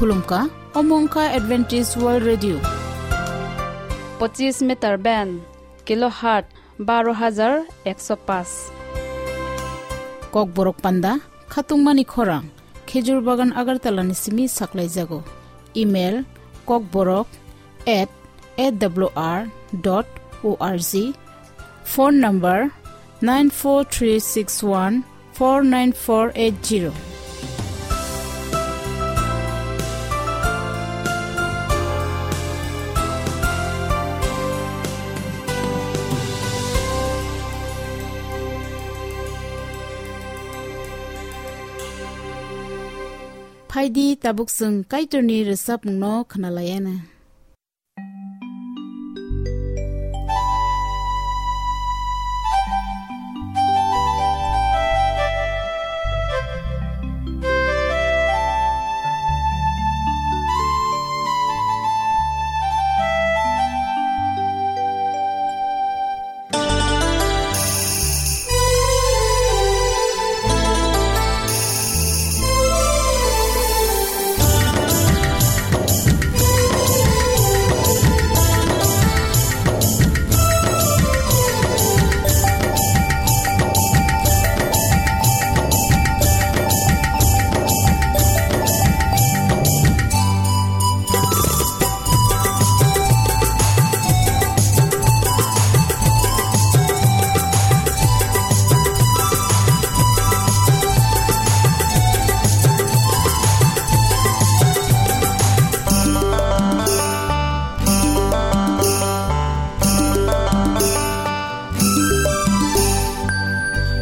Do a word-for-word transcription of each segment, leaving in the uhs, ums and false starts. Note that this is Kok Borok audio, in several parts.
Khulumkha, omo wngkha Adventist World Radio. Pochis meter band, kilohertz baro hajar ekso paanch. Kokborok panda, khatungmani khorang, Khejur Bagan Agartala ni simi saklaijago. Email, kokborok at A W R dot O R G. Phone number, nine four three six one four nine four eight zero. Phaidi, tabuk chwng Kaitorni rwchapmungno khwnalaiana.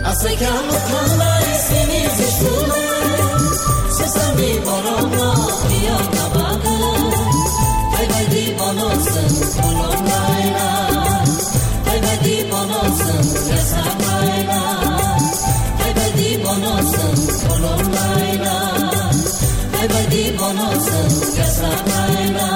Asai kha mwkhang bai sini Jisu le, sesami borok no priyo ka bagwi. Hai bai di bono chwng khulum laina, hai bai di bono chwng rwchap laina, hai bai di bono chwng khulum laina, hai bai di bono chwng rwchap laina.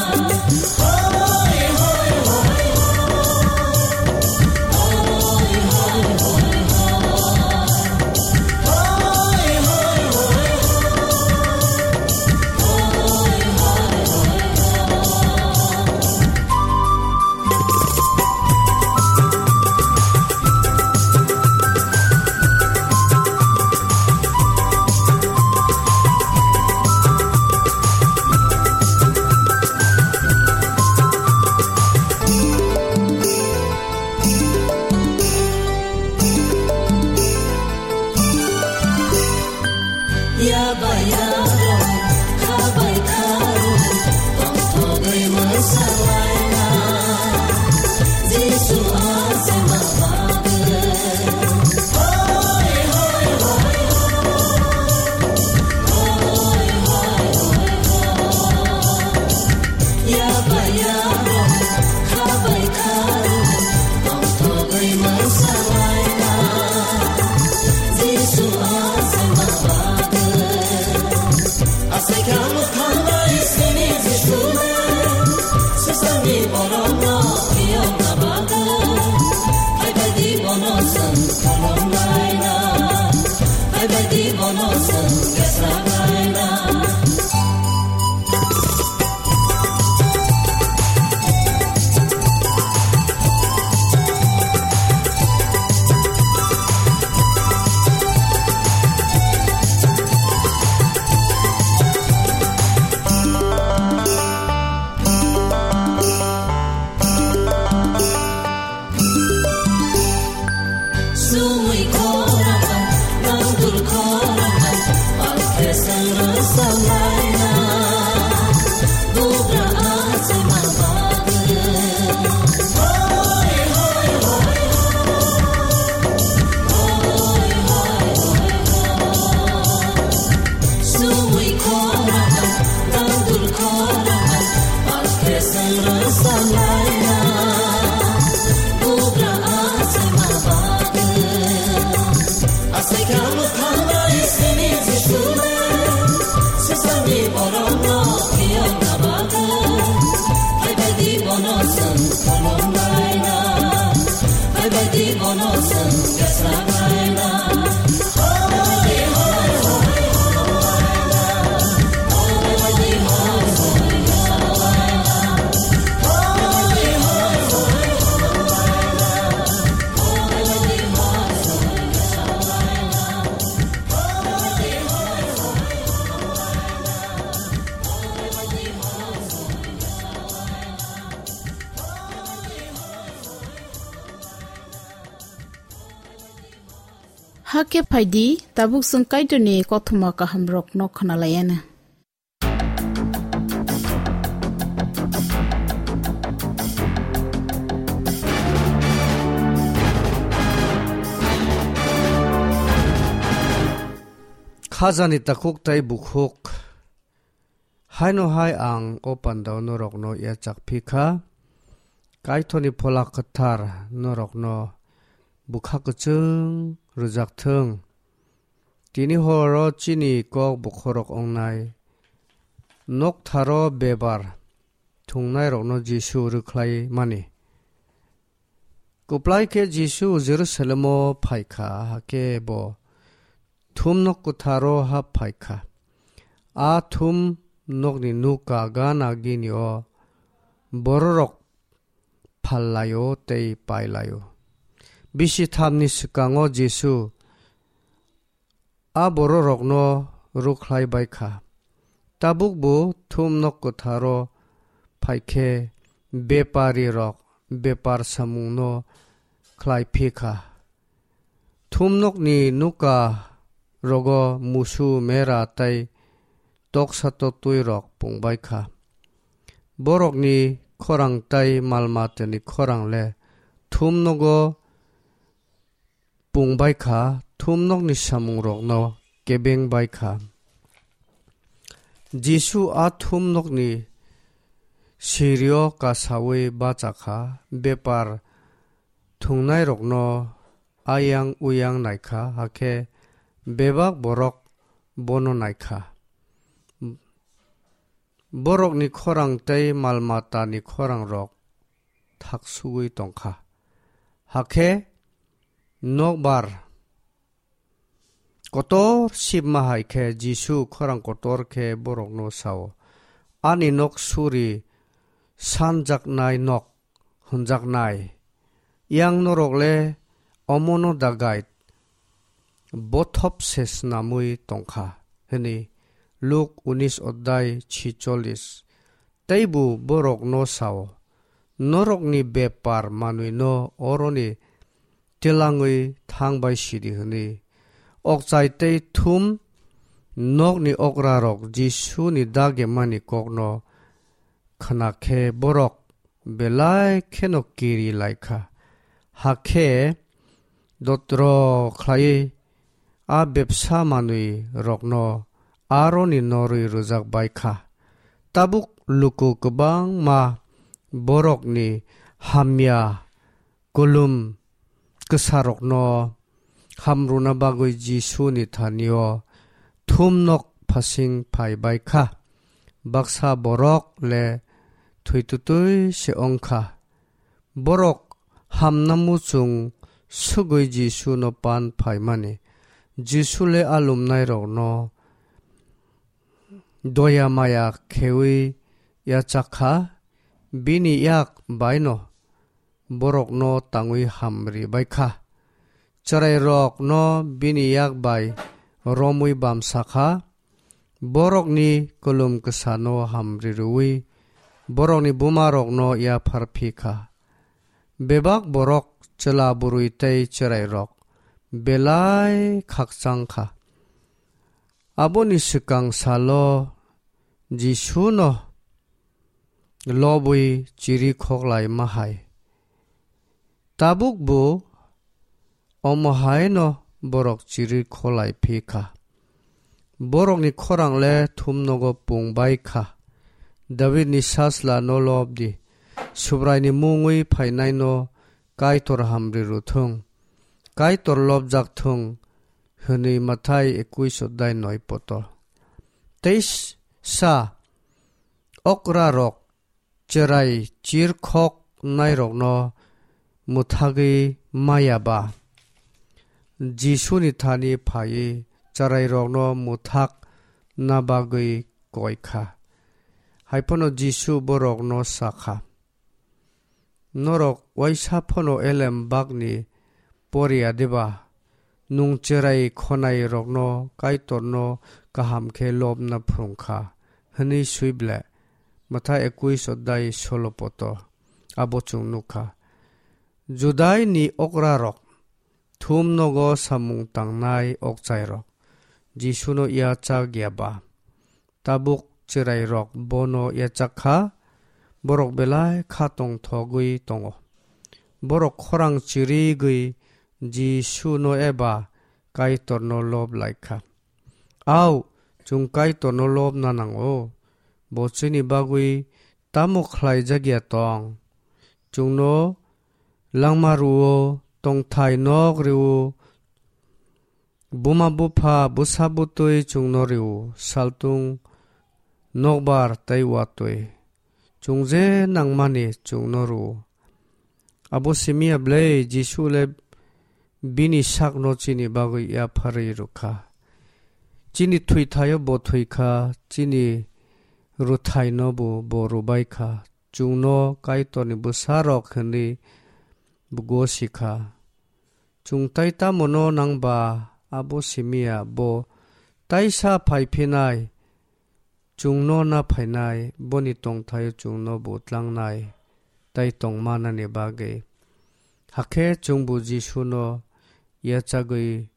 Hakhe phaidi, tabuk chwng Kaitorni kothoma kahamrokno khwnalaianw. Khajani takhuk tei bukhuk. Haino hai ang o pandao norokno yachak phi kha. Kaitorni Phola Kwthar norokno bwkha kwchwng rwjak thung. Tini horo chini kok bokhorok wngnai noktharo bebar thwngnairokno Jisu rwkhlai mani. Kwplai khe Jisu Jerusalemo phai kha, hakhe bo thumnok kwtharo hap phai kha. A thumnokni nuka gana gini o bororok phal lai-o tei pai lai-o. Bisi thamni swkango Jisu a bororokno rwkhlai bai kha. Tabuk bo thumnok kwtharo phai khe beparirok bepar samungno khlai phi kha. Thumnokni nuka rogo musu, mera tei toksa toktwirok pung bai kha. Borokni khorang tei mal matani khorang le thumnogo pung bai kha, thumnokni samungrokno kebeng bai kha. Jisu a thumnokni sirio kasaui bacha kha, bepar thwngnairokno ayang uyang nai kha, hakhe bebak borok bono nai kha. Borokni khorang tei mal matani khorangrok thaksugui tong kha. Hakhe nokbar kotor sibma hai khe Jisu khorang kotor khe borokno sao, "Ani nok suri sanjaknai nok hwnjaknai. Yang norok le omono dagai bothop se snamwi tong kha," hwnwi Luk unis odhai chicholis. Teibo borokno sao, "Norokni bepar manwino oroni telangwi thang bai sidi," hwnwi. Okchai tei thum nokni okrarok Jisuni dagimani kokno khna khe borok belai kheno kiri lai kha. Hakhe dotro khlaiwi a bepsa manwi rokno aroni norwi rwjak bai kha. Tabuk luku kwbangma borokni hamya kulum kwsarokno hamrwna bagwi Jisuni thanio thumnok phasing phai bai kha. Baksa borok le thwitwtwi se wng kha. Borok hamna muchung swgwi Jisuno pan phaimani. Jisu le a lumnairokno doya maya kheui yachak kha, bini yak baino borokno tangwi hamri bai kha. Chwrairokno bini yak bai romwi bamsa kha, borokni kulum kwsano hamri rwui borokni bumarokno yaphar phi kha. Bebak borok, chwla bwrwi tei chwrairok belai khakchang kha. Aboni swkang salo Jisuno lobwi chiri khoklai ma hai. Tabuk bo omo hai no borok chiri kholai phi kha. Borokni khorang le thumnogo pung bai kha. Davidni sasla no lob di. Subraini mungwi phainai no Kaitor hamri rw thung. Kaitor lobjak thung, hwnwi Mathai ekuis odhai noi poto. Tei sa okra rok chwrai chirkhok nairokno mwthagwi maya ba, Jisuni thani phaiwi chwrairokno mwthak na bagwi koi kha. Hai phano Jisu borokno sa kha, "Norok waisa phano elem bakni poriya deba? Nwng chwrai khonairokno Kaitorno kaham khe lobna phrwng kha," hwnwi swi ble? Mathai ekuis odhai solo poto abo chwng nuk kha. Judaini okrarok thum nogo samung tangnai okchairok Jisuno yachak ya ba? Tabuk chwrairok bono yachak kha, borok belai kha tongthogwi tongo. Borok khorang chirigwi Jisuno eba Kaitorno lob lai kha. Au, chwng Kaitorno lobna nango. Bo chini bagwi tamo khlaijak ya tong? Chwngno langma rwo, tongthai nok rwo, buma bupha bwsa bwtwi chwngno rwo, saltung nokbar tei watwi. Chwng je nangmani chwngno rwo. Abo simi ya ble Jisu le bini sakno chini bagwi yapharwi rwkha. Chini thwithaio bo thwikha, chini rwthaino bo, bo rwbaikha. Chwngno Kaitorni bwsarok hwnwi bo gosikha. Chwng tai tamono nangba abo simi ya bo taisa phaiphinai, chwngno na phainai, boni tongthaio chwngno bo tlangnai, tai tongmanani bagwi. Hakhe chwngbo Jisuno yachagwi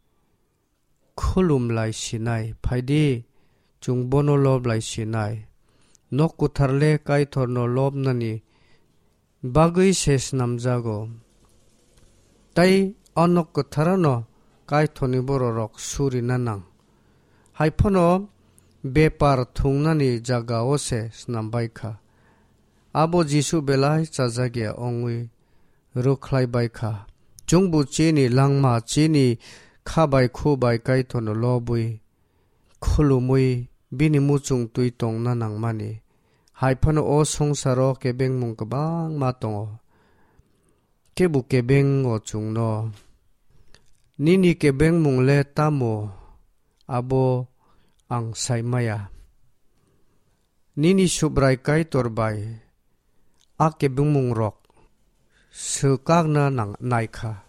khulum lai sinai, phaidi chwng bono lob lai sinai. Nok kwthar le Kaitorno lobnani bagwi se snamjago. Tei o nok kwtharano Kaitorni bororok surina nang. Hai phano bepar thungnani jagao se snambai kha. Abo Jisu belai chajak ya wngwi rwkhlai bai kha. Chwngbo chini langma, chini kha bai khu bai Kaitorno lobwi khulumwi bini muchung twi tongna nangmani. Hai phano o songsaro kebengmung kwbangma tongo. Kebo kebengo chwngno. Nini kebengmung le tamo abo ang sai maya. Nini Subrai Kaitor bai a kebengmungrok swkakna nang-, naikha.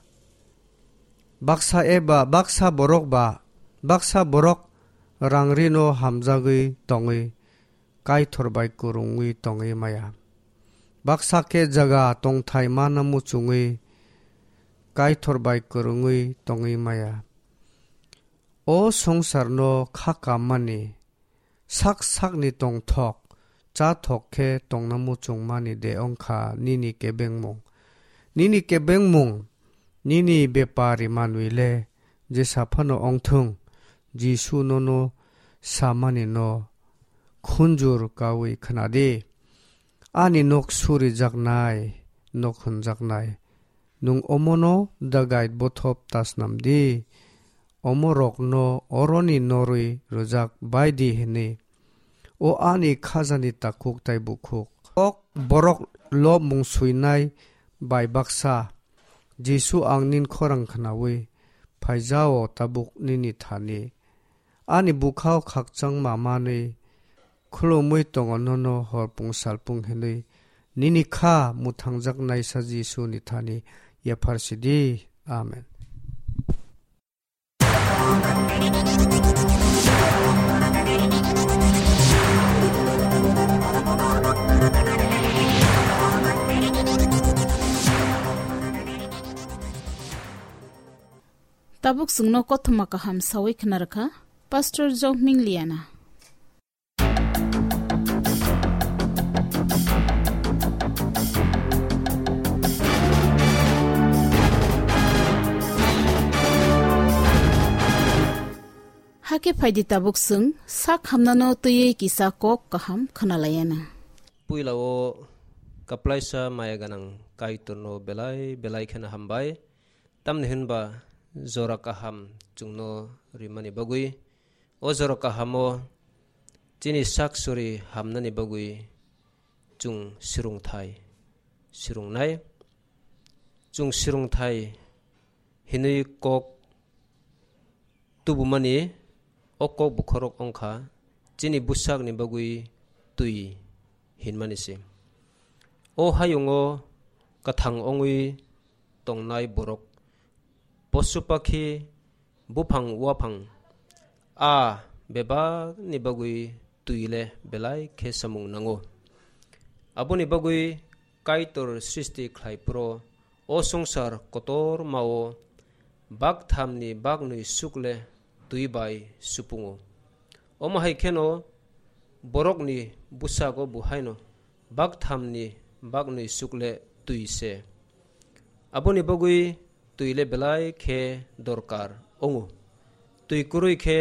Baksa eba baksa borok ba baksa borok rangrino hamjagwi tongwi Kaitor bai kwrwngwi tongwi maya. Baksa khe jaga tongthai mana muchungwi Kaitor bai kwrwngwi tongwi maya. O songsarno kha kammani sak sakni tongthok, chathok khe tongna muchungmani de wngkha nini kebengmung. Nini kebengmung, nini bepari manwi le jesa phano wngthung, Jisu nono samani no khunjur kawi khnadi. Ani nok surijaknai, nok hwnjaknai. Nwng omono dagait bothop ta snam di, omorokno oroni norwi rwjak bai di hwnwi. O ani khajani takhuk tai bukhuk. Kok borok lobmung suinai bai baksa, Jisu ang nin khorang khnaui phaijao tabuk nini thani. Ani bukhao khakchangma manwi khulumwi tongo nono horpung salpung hinwi nini kha mwthangjaknaisa Jisuni thani yapharsidi. Amen. Tabuk chwngno kothoma kaham sawi khna rwkha Pastor Jokming Liana. Hakhe phaidi tabuk chwng sak hamnano twiwi kisa kok kaham khwnalaiyana. Puila o kaplaisa maya ganang Kaitorno belai belai kheno hambai. Tamni hwnba jora kaham chwngno rimani bagwi, o jora kahamo chini sak suri hamnani bagwi chwng swrwngthai swrwngnai. Chwng swrwngthai hinwi kok tubumani, o kok bokhorok wngkha chini bwsakni bagwi twi hinmani se. O hayungo kwthang wngwi tongnai borok, posu pakhi, buphang waphang, a bebakni bagwi twi le belai khe samung nango. Aboni bagwi Kaitor srishti khlai phuru o swngchar kotormao Bakthamni baknwi suk le twi bai supungo. Omo hai kheno borokni bwsago bo haino bakthamni baknwi suk le twi se. Aboni bagwi twi le belai khe dorkar wngo. Twi kwrwi khe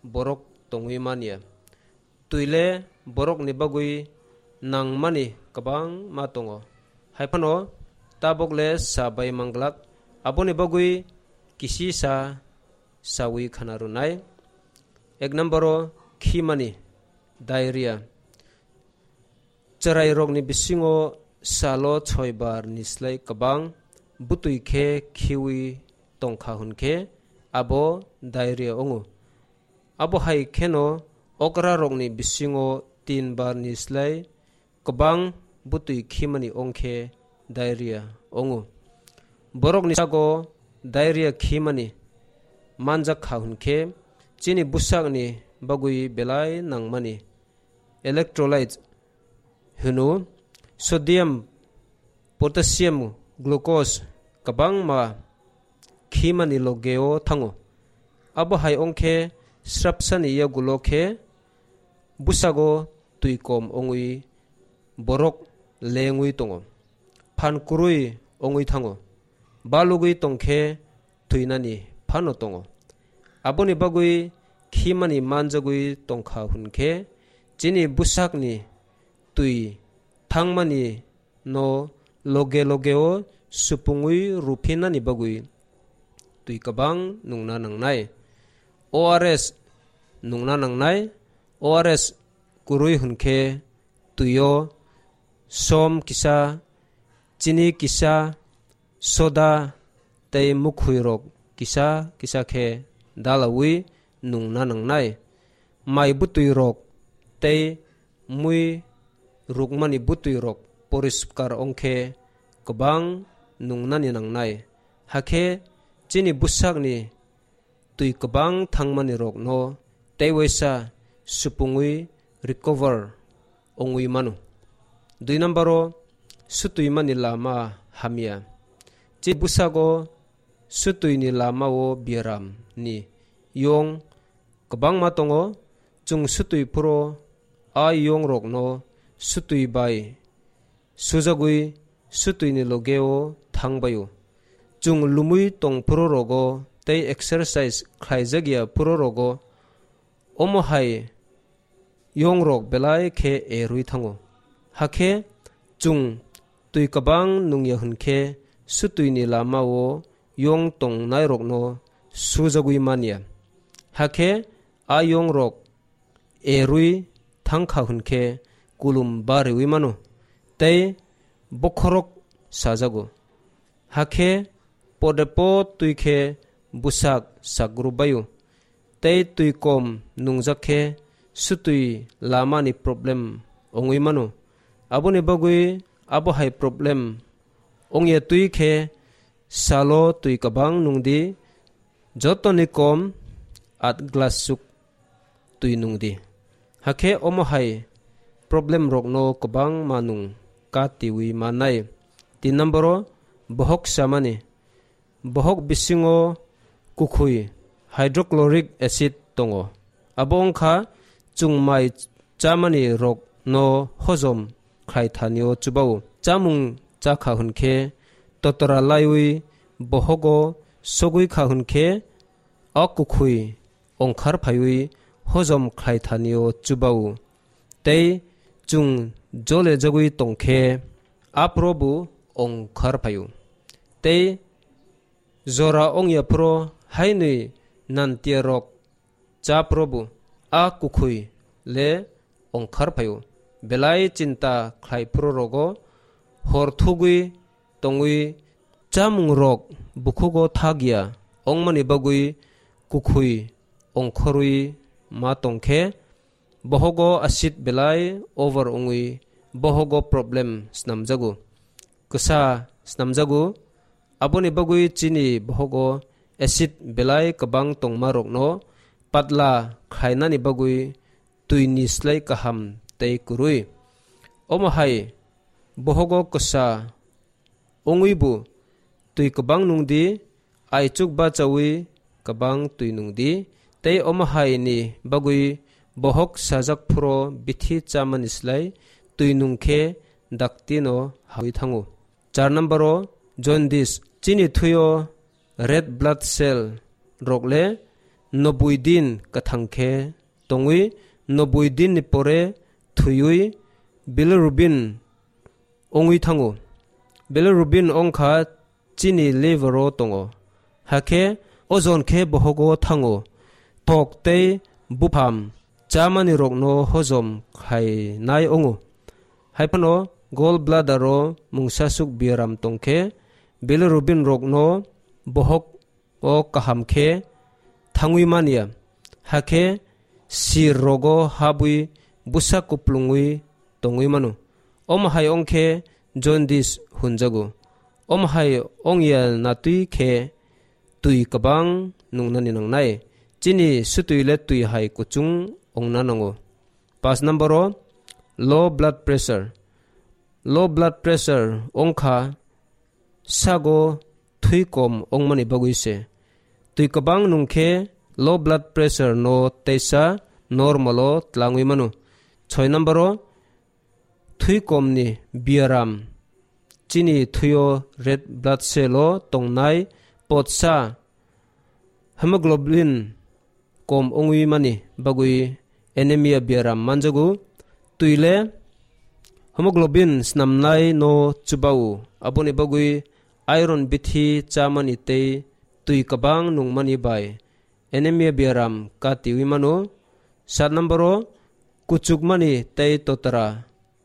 borok tongwi man ya. Twi le borokni bagwi nangmani kwbangma tongo. Hai phano tabok le sa bai manglak. Aboni bagwi kisi sa sawi khana rwnai. Ek number o khimani, diarrhea. Chwrairokni bisingo salo soi bar ni slai kwbang bwtwi khe khiwi tongkha hwn khe abo diarrhea wngo. Abo hai kheno okrarokni bisingo tin bar ni slai kwbang bwtwi khimani ongkhe diarrhea wngo. Borokni sago diarrhea khimani manjak kha hwn khe chini bwsakni bagwi belai nangmani electrolyte hwno, sodium, potassium, glucose kwbangma khimani logeo thango. Abo hai ongkhe srapsani yagulo khe bwsago twi kom ongwi borok lengwi tongo, phan kwrwi ongwi thango, balugwi tongkhe thwinani phano tongo. Aboni bagwi khimani manjagwi tongkha hwn khe chini bwsakni twi thangmani no loge logeo supungwi ruphinani bagwi twi kwbang nungna nangnai. O R S nungna nangnai. O R S kwrwi hwn khe twio som kisa, chini kisa, soda tei mukhwirok kisa kisa khe dalawi nungna nangnai. Mai bwtwirok tei mui rukmani bwtwirok poriskar ongkhe kwbang nungnani nangnai. Hakhe chini bwsakni twi kwbang thangmani rokno tei waisa supungwi recover ongwi mano. Dui number o sutwimani lama hamya. Chini bwsago sutwini lama o biaram ni yong kwbangma tongo. Chwng sutwi phuru a yong rokno sutwi bai sujagwi sutwini logeo thangbaio. Chwng lumwi tong phuru rogo tei exercise khlaijak ya phuru rogo omo hai yong rok belai khe erwi thango. Hakhe chwng twi kwbang nungya hwn khe sutwini lama o yong tongnai rokno sujagwi manya. Hakhe a yong rok erwi thangkha hwn khe kulum bariwi mano tei bokhorok sajago. Hakhe podepo twi khe bwsak sakgru baio tei twi kom nungjak khe sutwi lamani problem ongwi mano. Aboni bagwi abo hai problem ongya twi khe salo twi kwbang nungdi, jotoni kom at glass chuk twi nungdi. Hakhe omo hai problem rokno kwbangma nung katiwi mannai. Tin number o bohok samani. Bohok bisingo kukhwi hydrochloric acid tongo. Abo wngkha chwng mai chamani rokno hojom khlai thani o chubao. Chamung chakha hwn khe totora laiwi bohogo sogwi kha hwn khe a kukhwi ongkhar phaiwi hojom khlai thani o chubao. Tei chwng jole jagwi tong khe aphuru bo ongkhar phaio. Tei jora ongya phuru hainwi nantiya rok cha phuru bo a kukhwi le ongkhar phaio. Belai chinta khlai phuru rogo hor thugwi tongwi chamung rok bukhugo thak ya ongmani bagwi kukhwi ongkhorwi ma tong khe bohogo acid belai over wngwi bohogo problem snamjago, kwsa snamjago. Aboni bagwi chini bohogo acid belai kwbang tongma rokno patla khlainani bagwi twi ni slai kaham tei kwrwi. Omo hai bohogo kwsa wngwi bo twi kwbang nung di, aichuk bachaui kwbang twi nung di, tei omo hai ni bagwi bohok sajak phuru bithi chamani slai twi nung khe dakti no hawi thango. Char number o jaundice, chini thwi o red blood cell rok le noboi din kwthang khe tongwi, noboi din ni pore thwiwi bilirubin ongwi thango. Bilirubin ongkha chini liver o tongo. Hakhe ojon khe bohogo thango. Tok tei bupham chamani rokno hojom khainai ongo. Haiphano gallbladder o mungsasuk biaram tongkhe bilirubin rokno bohok o kaham khe thangwi manya, hakhe sir rogo habwi bwsa kuplungwi tongwi mano. Omo hai ongkhe jaundice hunjago. Omo hai ongya natwi khe twi kwbang nungnani nangnai. Chini sutwi le twi hai kuchung ongna nango. Paanch number o low blood pressure. Low blood pressure ongkha sago thwi kom ongmani bagwi se. Twi kwbang nung khe low blood pressure no teisa normal o tlangwi mano. Choi number o thwi kom ni biaram. Chini thwi o red blood cell o tongnai potsa hemoglobin kom ongwi mani bagwi anemia biaram manjago. Twi le hemoglobin snamnai no chubao, aboni bagwi iron bithi chamani tei twi kwbang nungmani bai anemia biaram katiwi mano. Sat number o kuchukmani tei totra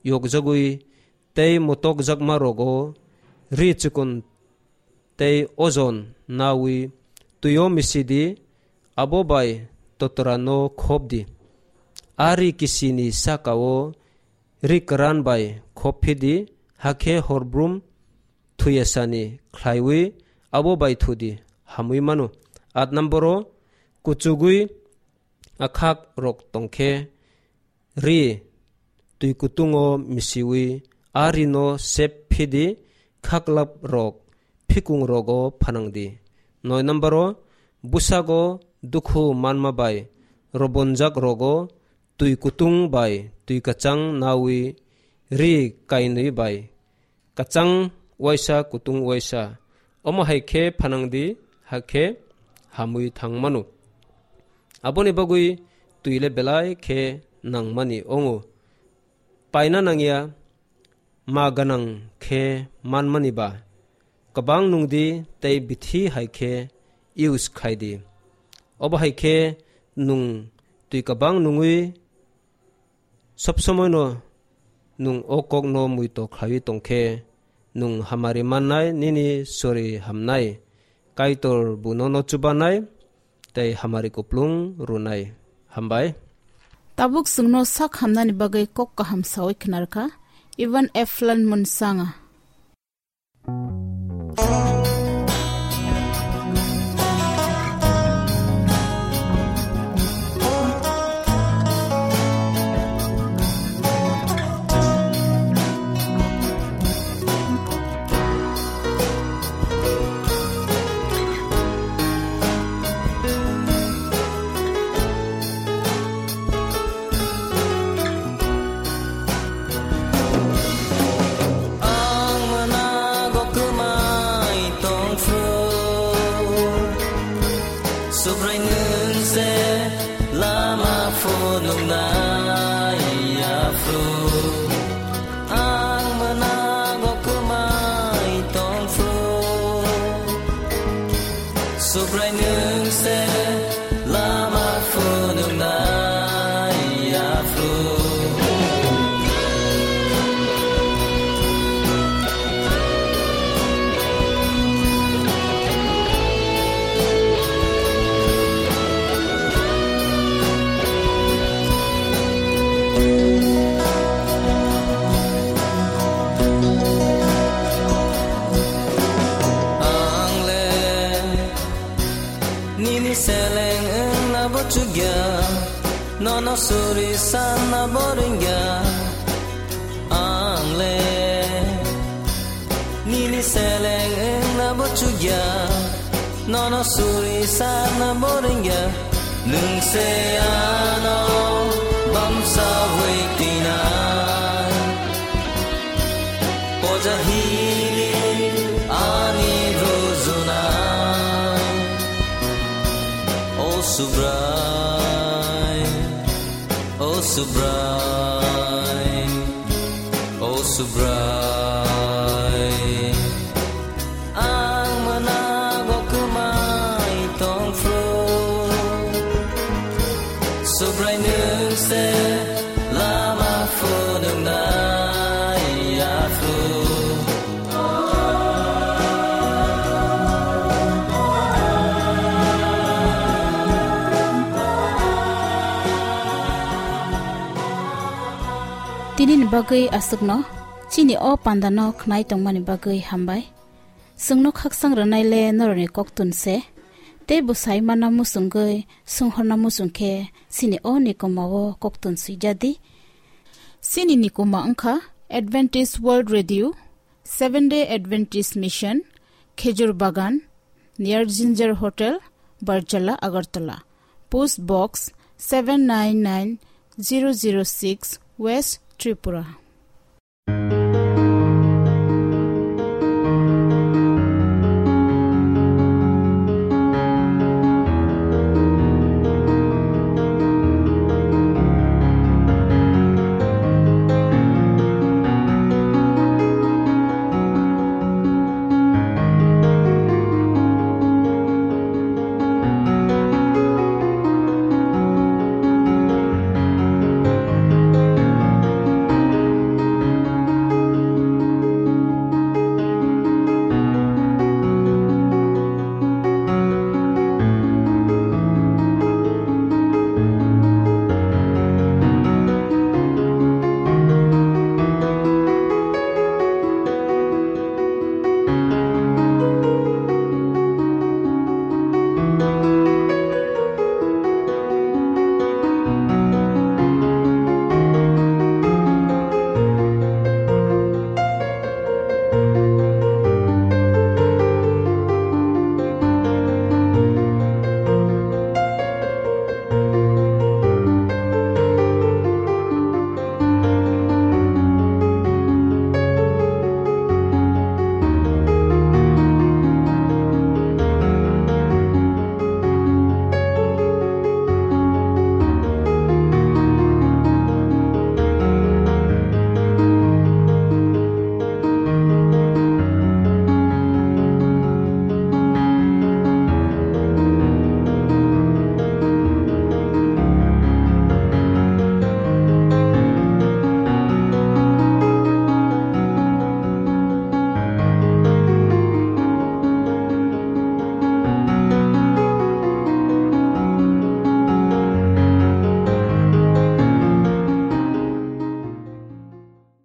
yokjagwi tei motokjakma rogo ri chikon tei ojon nawi twi o misi di, abo bai totra no khop di. A ri kisi ni saka o ri kwran bai khop phi di, hakhe horbrum thuyasani khlaiwi abo bai thu di, hamwi mano. Aat number o kuchugwi akhak rok tongkhe ri twi kutung o misiwi a ri no sep phi di, khaklap rok phikung rogo phanang di. Noi number o bwsago dukhu manma bai robonjak rogo twi kutung bai twi kwchang nawi ri kainwi bai kwchang waisa kutung waisa. Omo hai khe phanang di, hakhe hamwi thang mano. Aboni bagwi twi le belai khe nangmani ongo. Paina nangya ma gwnang khe manmani ba kwbang nung di tei bithi hai khe use khai di. Obo hai khe nung twi kwbang nungwi sob somoi no nung o kok no muito khlaiwi tongkhe nung hamari mannai, nini sori hamnai, Kaitor bo nono chubanai tei hamari kuplung rwnai. Hambai. Tabuk chwngno sak hamnani bagwi kok kaham sawi khwnarkha Ivan Eflin Munsanga. Ang mwnago kwmai tongphu, Subrai nwng se lama phunuknai yaphru. Ang mwnago kwmai tongphu, Subrai nwng se lama phunuknai yaphru. Ang le nini seleng wngna bo chukya, nono suri sanna bo ringya. Ang le nini seleng wngna bo chukya, Nono suri sana boringya, nung se ano bamsa waitina. Poja hili ani rujuna. O Subrai, o Subrai, o Subrai. Ang manago kwmai tongphu, Subrai nwng se lama phunuknai yaphu. Tinini bagwi aswkno, chini o pandano khnai tongmani bagwi hambai. Chwngno khaksang rwnaile norokni koktun se. Tei bwsai mana muchungwi, swnghorna muchung khe, chini o nikoma o koktun swijadi. Chini nikoma wngkha Adventist World Radio, Seven Day Adventist Mission, Khejur Bagan, near Ginger Hotel, Barjala, Agartala. Post Box seven nine nine zero zero six, West Tripura.